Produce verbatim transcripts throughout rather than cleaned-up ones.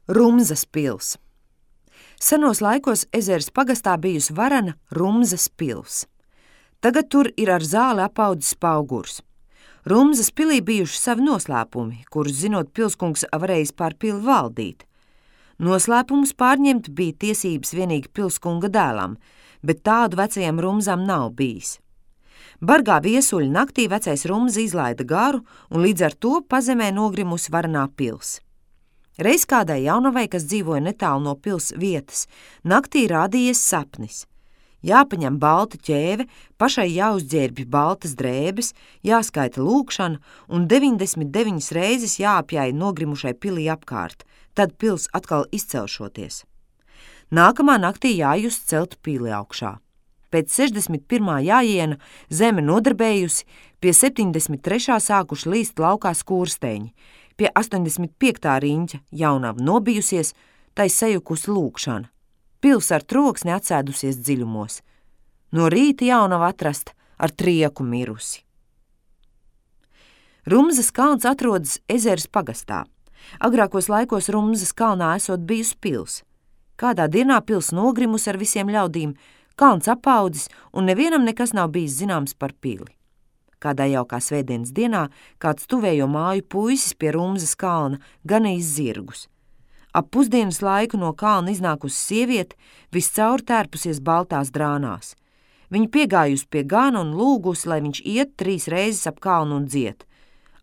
Rumzas pils. Senos laikos Ezeres pagastā bijusi varena Rumzas pils. Tagad tur ir ar zāli apaudzis paugurs. Rumzas pilī bijuši savi noslēpumi, kurus zinot pilskungs varējis pār pili valdīt. Noslēpumus pārņemt bija tiesības vienīgi pilskunga dēlam, bet tādu vecajam Rumzam nav bijis. Bargā viesuļa naktī vecais Rumza izlaida garu un līdz ar to pazemē nogrimusi varenā pils. Reiz kādai jaunavai, kas dzīvoja netālu no pils vietas, naktī rādījies sapnis. Jāpaņem balta ķēve, pašai jāuzģērbj baltas drēbes, jāskaita lūkšana un deviņdesmit deviņas reizes jāapjāja nogrimušai pilī apkārt, tad pils atkal izcelšoties. Nākamā naktī jājust celt pili augšā. Pēc sešdesmit pirmā jājiena zeme nodarbējusi, pie septiņdesmit trešā sākuši līst laukā skūrsteņi, pie astoņdesmit piektā riņķa jaunava nobijusies, tai sajukusi lūkšana. Pils ar troksni atsēdusies dziļumos. No rīta jaunava atrasta ar trieku mirusi. Rumzas kalns atrodas Ezeres pagastā. Agrākos laikos Rumzas kalnā esot bijusi pils. Kādā dienā pils nogrimus ar visiem ļaudīm, kalns apaudzis un nevienam nekas nav bijis zināms par pili. Kādā jaukā svētdienas dienā kāds tuvējo māju puisis pie Rumzas kalna ganījis zirgus. Ap pusdienas laiku no kalna iznākusi sieviete, viscaur tērpusies baltās drānās. Viņa piegājusi pie gana un lūgusi, lai viņš iet trīs reizes ap kalnu un dzied: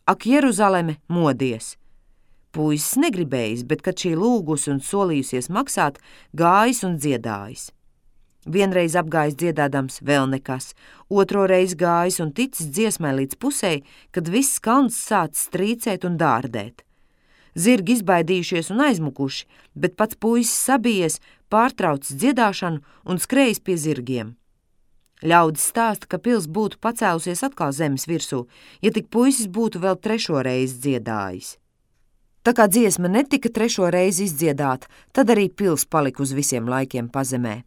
Ak, Jeruzaleme, modies! Puisis negribējis, bet, kad šī lūgusi un solījusies maksāt, gājis un dziedājis. Vienreiz apgājis dziedādams, vēl nekas, otro reizi gājis un ticis dziesmai līdz pusei, kad viss kalns sācis strīcēt un dārdēt. Zirgi izbaidījušies un aizmukuši, bet pats puisis sabijies, pārtraucis dziedāšanu un skrējis pie zirgiem. Ļaudis stāsta, ka pils būtu pacēlusies atkal zemes virsū, ja tik puisis būtu vēl trešo reizi dziedājis. Tā kā dziesma netika trešo reizi izdziedāta, tad arī pils palika uz visiem laikiem pazemē.